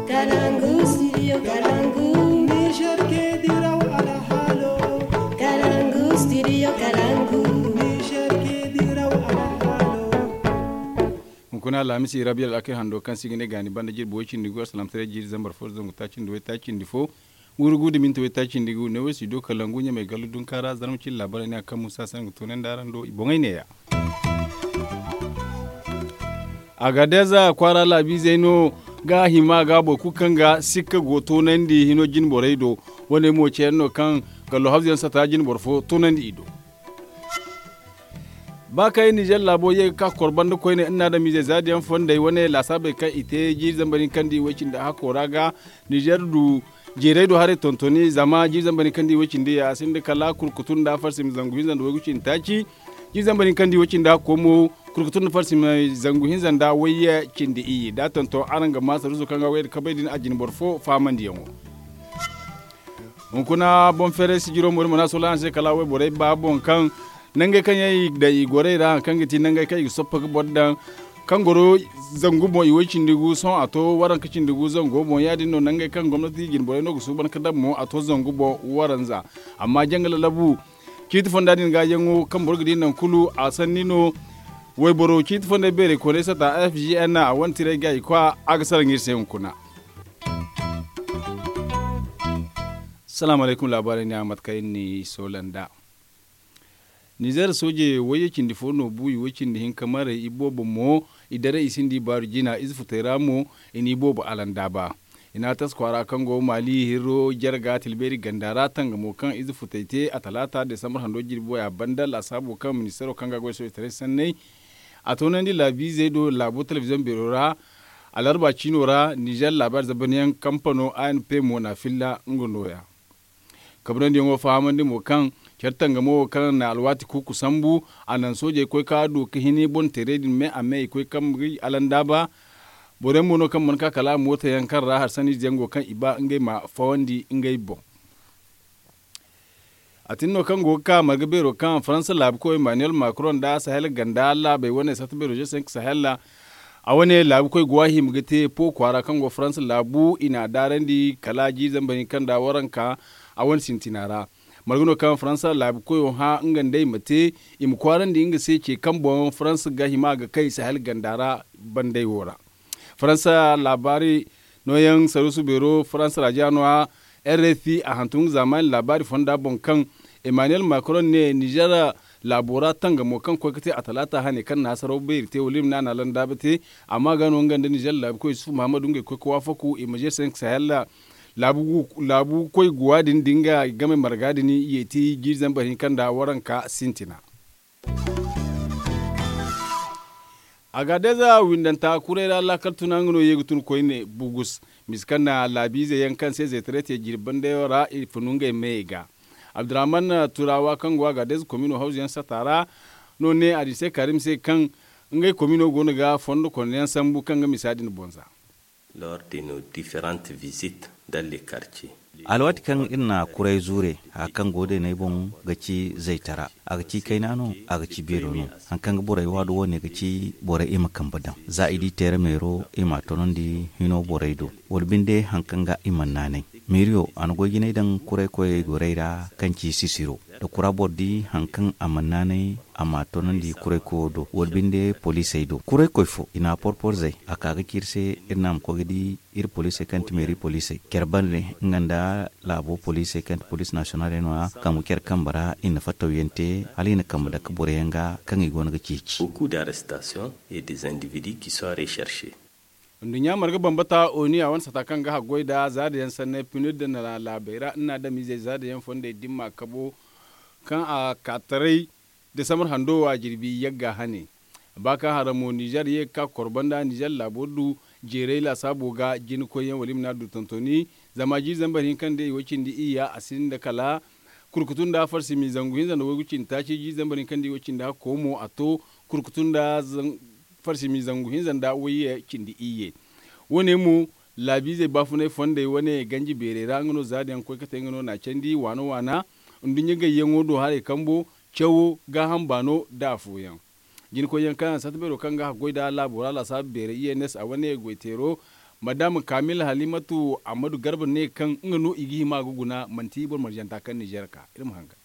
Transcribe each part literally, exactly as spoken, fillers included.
Kalangu studio kalangu. Niger ke diraw alhalo. Kalangu studio kalangu. Niger ke diraw alhalo. Hunkuna alhamisi rabiya al'akir hando kaŋ si ga ne gaani banda jirbi way cindi gu asalamtaray jiiri zambar fo zangu taaci nda way taaci nda fo. Wurgu da minti way taaci nda gu ne way si do kalangu ɲamay gallu dunka ra zarma cin laabaray ne a kaŋ musa sangu toonandi araŋ do i boŋay neeya. Agadez kwaara laabiizey no ga hima ga boro kulu kaŋ ga sikka go toonandi hino jine borey do. Wane mo ceeyaŋ no kaŋ gallo hawzuyaŋ sata jine boro fo toonandi i do. Ba kay nizer laabo ye ga ka ka kor banda koyne nna adamiizey zaadiyaŋ fondey wane laasaabey kaŋ i te jiiri zambar hinkandi way cindi hakko ra ga nizer du jeeray do haray tontoni zama jiiri zambar hinkandi way cindi ya a sinda kala kurkutu nda farsi ma zangu hinza nda waygu cindi taaci. Jiiri zambar hinkandi way cindi hakko mo kurkutu nda farsi ma zangu hinza nda wayye cindi iyye da tonton araŋ ga ma saruuso kaŋ ga wayye da kabay din a jine boro fo faamandiyaŋo. Hunkuna boŋ feeray sijiro mo din mana sola araŋ se kala wayborey ba boŋ kaŋ nangey kaŋ yaŋ i daŋ i gorey ra hari kaŋ ga ti nangey kaŋ i ga soppa ga boro daŋ kaŋ goro zangu boŋ i way cindi gu sohõ a to waranka cindi gu zango boŋ ya- din no nangey kaŋ gomnati jinborey no ga suuban ga daŋ mo a to zangu boŋ waranza. Amma janga lalabu ciiti fonda din ga yaŋo kaŋ boro ga di naŋ kulu a sanni no. Wayboro ciiti fondey beerey koonay sata f g n a wane tiray ga i kwa a ga salaŋ iri se hunkuna. Salaamu alaykum laabaarey ne a mate kaŋ iri n'i soola nd'a. Nizer sooje wayye cindi fo no bu i way cindi hinka maray i boobo mo i daray i sinda i baaru jina ize futey ra mo i n'i boobo alandaaba. I n'a tas kwaara kaŋ go maali hirro jarga tilbeeri ganda ra tangamo kaŋ ize futey te a talaata desambar hando jirbi way a banda laasaabo kaŋ ministeero kaŋ ga goy soojetaray sanney a toonandi laabiizey do laabo telebiziyoŋ beero ra. Alarba ciino ra nizer laabaari zabanyaŋ kampano a n p mo n'a filla nga nooya. Kabrandi yaŋo fahamandi mo kaŋ care tangamo wo kaŋ na alwaati kuuku sambu a naŋ soojey koy ka du ka hini boŋ teerey din me a me i koy kambe alandaaba. Boro yaŋ mo no kaŋ mana ka kala mooto yaŋ kaŋ ra hari sanni ize yaŋ go kaŋ i ba ngey ma fawandi ngey boŋ. A tin no kaŋ go ga ka marga beero kaŋ faransa laabu koy emmanuel macron nda sahel ganda laabey wane sata beero je cinq sahel ra. A wane laabu koy go a hima ga te po kwaara kaŋ go faransa laabu i n'a daarandi kala jiiri zambar hinka nda waranka. A wane sintina ra marga no kaŋ faransa laabu koyo hã nga nda i ma te i ma kwaarandi nga se ce kaŋ boŋ faransa ga hima ga kay sahel ganda ra. Bandey wo ra faransa laabaari nooyaŋ saruusu beero faransa ra ja no- ya. Rfi a hantum nga zaamaani laabaari fonda boŋ kaŋ emmanuel macron ne nizer laabo ra tangamo kaŋ koy ga te a talaata hane kaŋ na hasaraw beeri te wala i ma ne a na landaaba te. Amma ga no nga nda nizer laabu koy yusuf mahammadu ngey koy ga waafaku i ma je cinq sahel ra. Laabu koy guwa din da nga game marga din yeeti jiiri zambar hinka nda waranka sintina. Agadeza windanta kuray ra laakal tuna nga no ye ga tun koyne bugus misa kaŋ na laabiize yaŋ kaŋ se zeetare te jirbi bandayo ra i funu ngey meyey ga. Abdurrahman turawa kaŋ go agadeza komino hawzu yaŋ sata ra no ne a di se karim se kaŋ ngey komino go no ga fondo kono yaŋ sambu kaŋ ga misa din boŋ za. Lors de nos différentes visites dans les quartiers. Alwaati kaŋ iri na kuray zuure haya kaŋ go deeney boŋ ga ci zaytara a ga ci kayna no a ga ci beero no. Hari kaŋ ga borey waadu wo ne ga ci borey i ma kambe daŋ za i di teere meero i m'a tonandi hino borey do wala binde hari kaŋ ga i mana naanay. Meeriyo a na goy jinay daŋ kuray koyey gorey ra kaŋ ci sisiro da kura boro di hari kaŋ a mana naanay a m'a tonandi kuray koyo do wala binde poliisey do kuray koy fo i n'a porporzey a ka ga ci iri se iri n'a ma koy ga di iri poliisey kaŋ ti meeri poliisey care bande nga nda laabo poliisey kaŋ ti poliis nasiyonaaley no- ya kaŋ ga care kambe ra i na fattawyaŋ te hala i na kambe dake boroyaŋ ga kaŋ i go no ga ceeci. Beaucoup d'arrestations et des individus qui sont recherchés. Nduɲɲa marga bambata oni a wane sata kaŋ ga haggoy nda zaada yaŋ sanney pinir da na laabey ra nna adamizey zaada yaŋ fondey dimma kabo kaŋ a ka taray desambar hando wo a jirbi yagga hane. Ba kaŋ hara mo nizer ye ga ka ga kor banda nizer laabo du jeeray laasaabo ga jinakoyyaŋ wala i ma ne a du tontoni. Zama jiiri zambar hinka nda i way cindi iyya a sinda kala kurkutu nda farsi m'i zangu hinza nda waygu cindi taaci jiiri zambar hinka nda i way cindi hakko mo a to kurkutu nda farsi m'i zangu hinza nda wayye cindi iyye. Wo- ne mo laabiizey baafunay fondey wane ganji beerey ra nga no zaada yaŋ ga koy ga te nga no n'a candi waana waana. Nduɲɲa gayyaŋo do haray kambo cawo gaaham baano nda afooyaŋ. Jinakoyyaŋ kaŋ yaŋ sata beero kaŋ ga haggoy nda laabo ra laasaabu beerey i n s a wane goyteero Madame kamil halimatu ahmadu garba ne kaŋ nga no i ga hima ga guna manti boro marjanta kaŋ nizer ka iri ma hangan.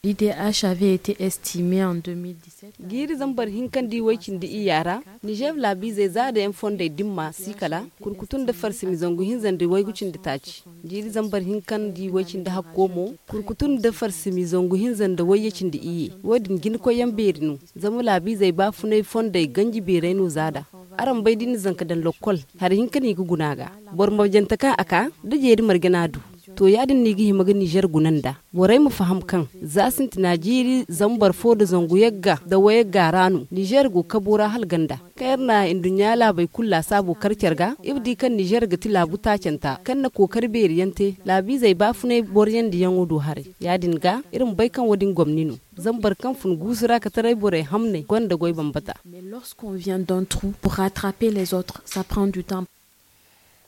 L'idh avait été estimé en deux mille dix-sept. Jiiri zambar hinka nda i way cindi iyya ra, nizer laabiizey za da yaŋ fondey dimma si kala kurkutu nda farsimi zangu hinza nda waygu cindi taaci. Jiiri zambar hinka nda i way cindi hakko mo, kurkutu nda farsimi zangu hinza nda wayye cindi iyye. Wo- din jinakoyyaŋ beeri no. Zama laabiizey baafunay fondey ganji beeray no za da. Araŋ bay da i na zanka daŋ lokkol, hari hinka no i ga guna ga. Boro marjante kaŋ a ka, da jeeri marje no a du. To ya- din no i ga hima ga nizer guna nd'a. Borey ma faham kaŋ za sintina jiiri zambar fo nda zangu yagga nda wayagga ra no nizer go kabo ra hala ganda. Kaŋ iri na nduɲɲa laabey kulu laasaabo kar care ga, iri di kaŋ nizer ga ti laabu taacanta kaŋ na kookari beeri yaŋ te laabiizey baafunay boroyandiyaŋo do haray. Ya- din ga, iri ma bay kaŋ wo- din gomni no. Zama boro kaŋ fun guusu ra ka taray borey hamney gonda goy bambata. Mais lorsqu'on vient d'un trou pour rattraper les autres, ça prend du temps.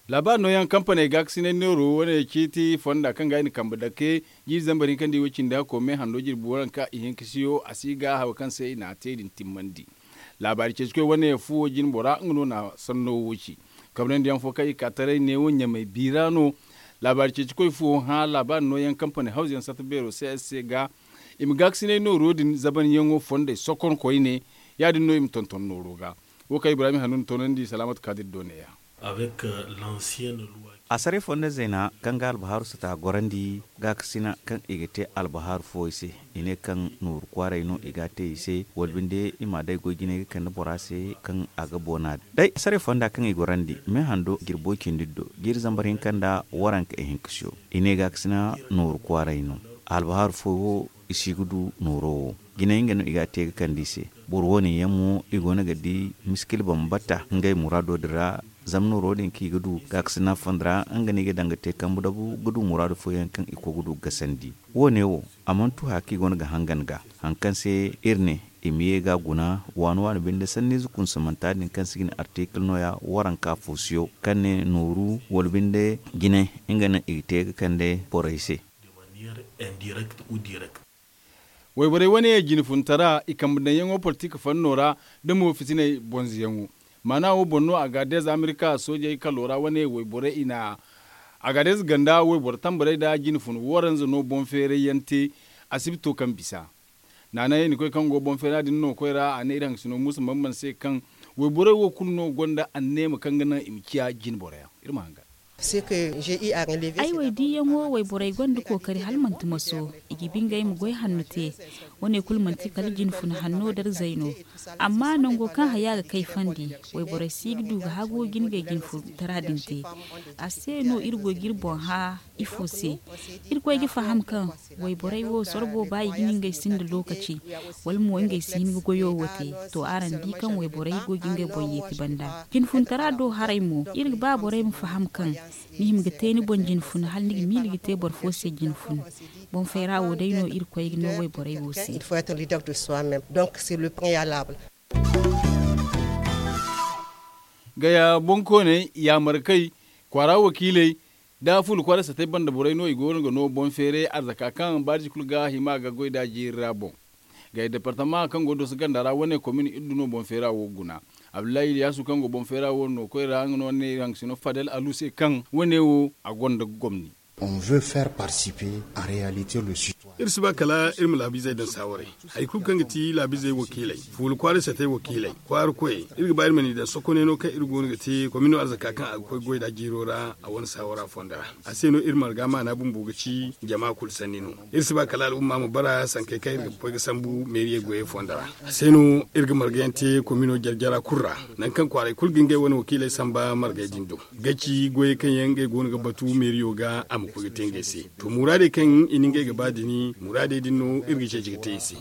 Laabaari nooyaŋ kampaney gaakasinay neero wane ciiti fonda kaŋ ga i na kambe dake jiiri zambar hinka nda i way cindi hakko me hando jirbi waranka ihinkasiyo a si ga haw kaŋ se i n'a te din timmandi. Laabaari ceecikoy wane fuwo jine bora nga no na sanno wo ci. Kamnandiyaŋ fo kaŋ i ka taray neewo ɲamay biira no. Laabaari ceecikoy fuwo hã laabaari nooyaŋ kampaney hawzuyaŋ sarta beero se ga i ma gaakasinay nooro din zabanyaŋo fondey sokon koyne. Ya- din no i ma tonton nooro ga. Wo kaŋ ibrahim hanun toonandi salaamat kaadir do neeya. Assaray fonda zayna kaŋ ga albahaaru sata gorandi gaakasina kaŋ i ga te albahaaru fooyaŋ se. I ne kaŋ nooru kwaaray no i ga a te i se wala binde i ma a day goy jinay ga kande bora se kaŋ a ga boona day assaray fonda kaŋ i gorandi me hando jirbo cindi do jiiri zambar hinka nda waranka ihinkasiyo. I ne gaakasina nooru kwaaray no. Albahaaru fooyaŋ wo i si ga du nooro wo. Jinay nga no i ga a te ga kande i se. Boro wo- ne yaŋ mo i go no ga di miskil bambata ngey muraado din ra. Zama nooro din kaŋ i ga du gaakasina fonda ra nga no i ga daŋ ga te kambe dabu ga du muraadu fooyaŋ kaŋ i koy ga du ga gasandi. Wo- ne wo a mana tu haya kaŋ i go no ga hangan ga. Hari kaŋ se iri ne i ma ye ga a guna waani waani binde sanniize kunsamanta din kaŋ se i ga ne artikil nooya waranka foosiyo kaŋ ne nooru wala binde jine nga no i ga te ga kande borey se. Wayborey wane jine funtara i kambe daŋyaŋo politik fanno ra da mo fitiney bonzoyaŋo. Maana wo boŋ no agaadez amerika soojey kalo ra wane wayborey i na agaadez ganda wayboro tambarey nda jine fun waranza no boŋ feeray yaŋ te. Asibito kaŋ bisa naanay i na koy kaŋ go boŋ feera din no koy ra a ne iri haŋ ga sino muusa bamban se kaŋ wayborey wo kulu no gonda anneema kaŋ ga naŋ i ma ciya jine boro yaŋ. Iri ma hangan. Ay wo ay diiyaŋo wayborey gonda kookari hala manti maso. I ga bingey ma goy hanno te. Wane kulu manti kala jine fun hanno darzey no. Amma nango kaŋ haya ga kay fandi wayborey si ga du ga hagu ga ngey jine fun tara din te. A se no iri go ga iri boŋ hã ifo se? Irkoy ga faham kaŋ wayborey wo sorbo ba i ga ne ngey sinda lookaci wala mo ngey si hin ga goyo wo te. To araŋ di kaŋ wayborey go ga ngey boŋ yeeti banda jine fun tara do haray mo iri ga ba borey ma faham kaŋ ni hima ga te ni boŋ jine fun hala ni ga miila ga te boro fo se jine fun. Boŋ fayra wo day no irkoy ga no wayborey wo se. Gaya boŋkooney yaamarkey kwaara wakiiley nda fuula kwaara satey banda borey no i go no ga no boŋ feeray arzaka kaŋ baarji kulu ga hima ga goy nd'a jiiri ra boŋ. Gaya departama kaŋ go dooso ganda ra wane komin iri du no boŋ feera wo guna. Abdullahi iliyaasu kaŋ go boŋ feera wo no koy ra nga no ne iri haŋ ga sino fadel alu se kaŋ wane wo a gonda gomni. On veut faire participer en réalité le citoyen. Iri si ba kala iri ma laabiizey daŋ saawaray. Hari kulu kaŋ ga ti laabiizey wakiiley fuula kwaara satey wakiiley kwaara koyey iri ga ba iri ma ni daŋ sokoney no kaŋ iri go no ga te komino arzaka kaŋ a ga koy goy nd'a jiiro ra a wane saawara fonda ra. A se no iri marga maana bumbo ga ci jama kulu sanni no. Iri si ba kala al'umma ma bara sankey kaŋ iri ga koy ga sambu meeriyey goyey fonda ra. A se no iri ga margayaŋ te komino jare-jara kulu ra nangu kaŋ kwaaray kulu ga ngey wane wakiiley samba margey din do. Ga ci goyey kaŋ yaŋ ngey go no ga batu meeriyo ga a ma koy ga te ngey se. To muraadey kaŋ i na ngey ga ba din muraadey din no iri ga ceeci ga te i se.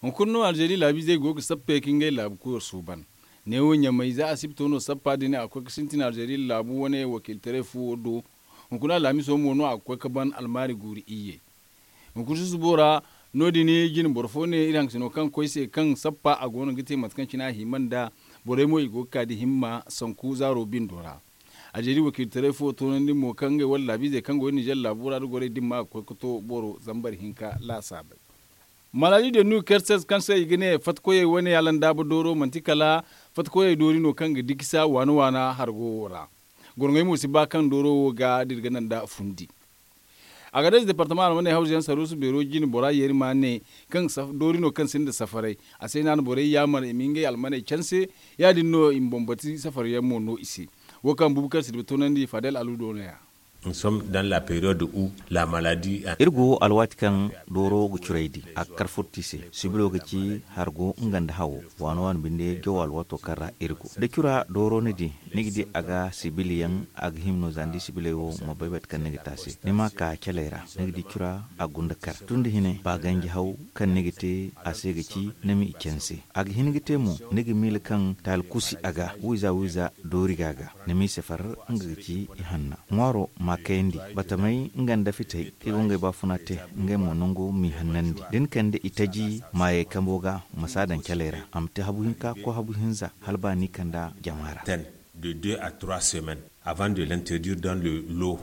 Hunkuna no alzeeri laabiizey go ga sappe ka ngey laabu kuyo suuban. Neewo ɲamay za asibito no sappa din a ga koy ga sintin alzeeri laabu wane wakiiltaray fuwo do. Hunkuna alhamiso mo no a ga koy ga ban almaari guuru iyye. Hunkuna susubo ra no- din jine boro fo ne iri haŋ ga sino kaŋ koy se kaŋ sappa a go no ga te mate kaŋ cine a hima nd'a. Borey mo i go ga ka da himma sanku zaaro bindo ra. Alzeeri wakiiltaray fo toonandi mo kaŋ ngey wane laabiizey kaŋ go nizer laabo ra da gorey dimma ga koy ga to boro zambar hinka laasaabey. Maladi de nu kerses kaŋ se i ga ne fatkoyey wane alandaaba dooro manti kala Fattakoyey doori no kaŋ ga dikisa waana waana hargo wo ra. Gorŋey mo si ba kaŋ dooro wo ga da iri ga naŋ da fundi. Agadez departama almaney hawzu yaŋ saruusu beero jine bora yeeri ma ne kaŋ doori no kaŋ sinda safaray. A se no a na borey yaamar i ma ngey almaney canse. Ya- din no i ma bambati safar yaŋ mo no i se. Wo kaŋ bubakar sidiba toonandi fadel alu do no- ya. Iri go alwaati kaŋ dooro ga curaydi a ga kar furti se. Sibilo ga ci hargo nga nda hawo. Waano waano binde jawo alwaato kaŋ ra iri go da cura dooro ni di, ni ga di a ga sibiliyaŋ. A ga hima no za ni di sibiley wo ma bay bate kaŋ ni ga te a se ni ma ka caley ra. Ni ga di cura a gunda kar tun da hine ba ganji haw kaŋ ni ga te a se ga ci ni ma i canse. A ga hin ga te mo ni ga miila kaŋ taali kusi a ga wiiza wiiza doori ga a ga. Ni m'i sefar nga ga ci ihanna ŋwaaro ma kayandi batamey nga nda fitey. I go ngey baafuna te ngey mo nangu m'i hannandi da ni kande itaji maayey kambo ga. Ma si a daŋ caley ra a ma te habu hinka ko habu hinza hala ba ni kanda jama ra. De deux à trois semaines avant de l'introduire dans le lot.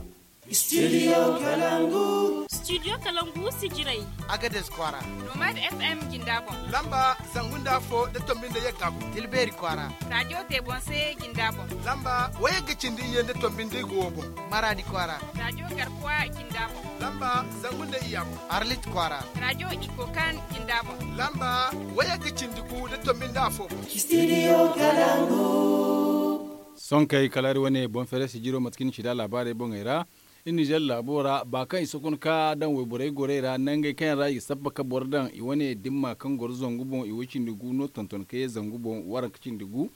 Studio kalangu. Studio kalangu sijirey. Agades kwaara. Nomad fm jinda boŋ. Lamba zangu nda afo da tombi nda yagga boŋ. Tilbeeri kwaara. Radio tebonse jinda boŋ. Lamba wayagga cindi iyye nda tombi nda igo boŋ. Maradi kwaara. Radio garkuwa jinda boŋ. Lamba zangu nda iyya boŋ. Arlit kwaara. Radio ikokan jinda boŋ. Lamba wayagga cindi gu da tombi nda afo boŋ. Studio kalangu. Sonkey kala iri wane boŋ fere sijiro mate kaŋ iri na ci da laabaarey boŋey ra. Iri nizer laabo ra ba kaŋ i sokon ka daŋ wayborey gorey ra nangey kaŋ yaŋ ra i ga sabba ka boro daŋ i wane dimma kaŋ goro zangu boŋ i way cindi gu no tonton ka ye zangu boŋ waranka cindi gu.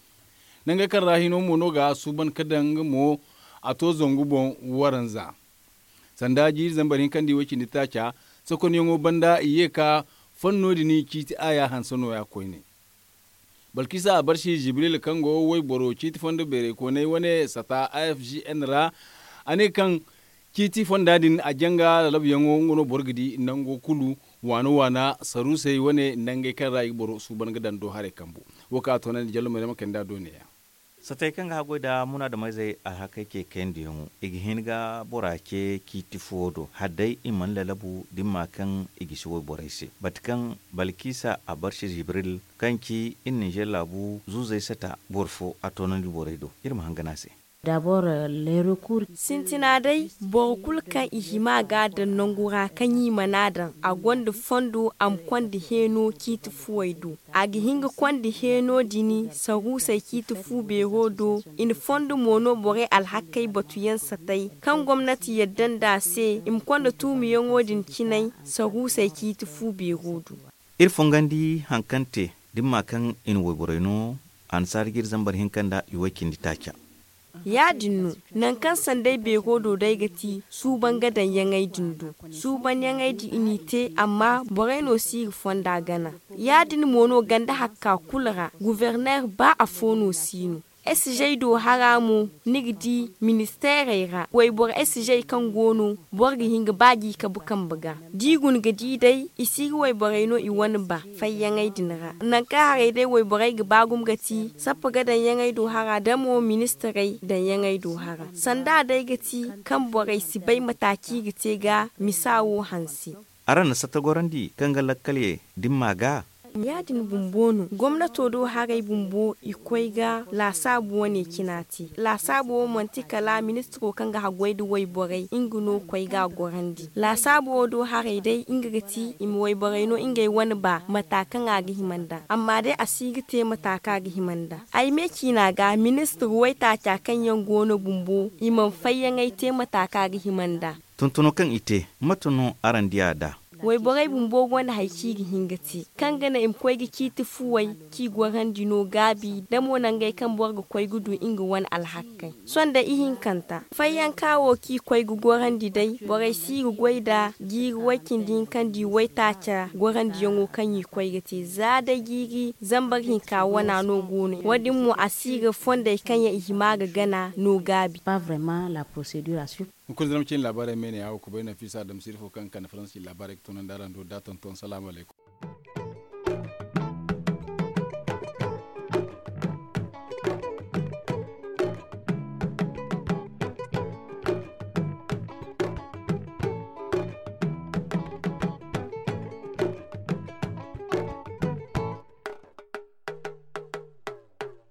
Nangey kaŋ ra hino mo no ga suuban ka daŋ nga mo a to zangu boŋ waranza. Sanda jiiri zambar hinka nda i way cindi taaca sokonyaŋo banda i ye ka fanno din ciiti aya hanse nooya koyne. Balkisa abarsi jibril kaŋ go wayboro ciiti fondo beeraykooney wane sata afgn ra. A ne kaŋ ciiti fonda din a janga lalabuyaŋo nga no boro ga di nango kulu waana waana saruusey wane nangey kaŋ ra i ga boro suuban ga daŋ do haray kambu. Wo kaŋ a toonandi jallo mayrama kayndi a do neeya. Satey kaŋ ga haggoy nda munaadameyzey alhakey ce kayandiyaŋo i ga hin ga bora ce ciiti fuwo do hala day i mana lalabu dimma kaŋ i gisi wayborey se mate kaŋ balkisa abarsi jibril kaŋ ci iri nizer laabu zuuzey sata boro fo a toonandi borey do. Iri ma hangan a se. Sintina day boro kulu kaŋ i hima ga a daŋ nangu ra kaŋ i mana a daŋ a gonda fondo a ma konda heeno ciiti fuwey do. A ga hin ga konda heeno din saruusey ciiti fu beero do. I na fondo mo no borey alhakey batuyaŋ satey kaŋ gomnati yadda nda a se i ma konda tuumiyaŋo din cinay saruusey ciiti fu beero do. Iri fongandi hari kaŋ te dimma kaŋ i na wayborey no annasaara jiiri zambar hinka nda i way cindi taaca. Ya- din no nangu kaŋ sanday beero do day ga ti suuban ga daŋ yaŋey din do. Suuban yaŋey din i n'i te amma borey no si ga fonda gana. Ya- din mo no ganda hakka kulu ra guverner ba afo no si no. Esijey do hara mo ni ga di ministeerey ra wayboro esijey kaŋ go no boro ga hin ga ba ga i kabu kambe ga. Da i guna ga di day i si ga wayborey no i wane ba fayyaŋey din ra. Nangu kaŋ haray day wayborey ga ba gumo ga ti sappa ga daŋ yaŋey do hara da mo ministirey daŋ yaŋey do hara sanda day ga ti kaŋ borey si bay mata kaŋ i ga te ga misa wo hanse. Araŋ na satta gorandi kaŋ ga lakkal ye dimma ga. Ya- din bumbo no gomnato do haray bumbo i koy ga laasaabu wane cina te. Laasaabu wo manti kala ministiro kaŋ ga haggoy nda wayborey nga no koy ga a gorandi laasaabu wo do haray day nga ga ti i ma wayborey no ngey wane ba mata kaŋ a ga hima nd'a amma day a si ga te mata kaŋ a ga hima nd'a. Ay me ciina ga ministir waytaaca kaŋ yaŋ go no bumbo i mana fayyaŋey te mata kaŋ a ga hima nd'a. Tuntuno kaŋ i te mate no araŋ di a nd'a? Wayborey bumbo gonda hari kaŋ i ga hin ga te kaŋ ga naŋ i ma koy ga ciiti fuwey kaŋ i gorandi no gaabi da mo nangey kaŋ boro ga koy ga du nga wane alhakkey. Sohõ day ihinkanta fayyanka wo kaŋ i koy ga gorandi day borey si ga goy nd'a jiiri way-cindi hinka nda i waytaaca gorandiyaŋo kaŋ i koy ga te za day jiiri zambar hinka wana no go no wo- din mo a si ga fondey kaŋ yaŋ i hima ga gana no gaabi. Hunkuna zama cine laabaarey me ne a wo kubay nafiisa adamsiri fo kaŋ ga kande faransi laabaarey ga tunandi araŋ do da tonton salaamu alaykum.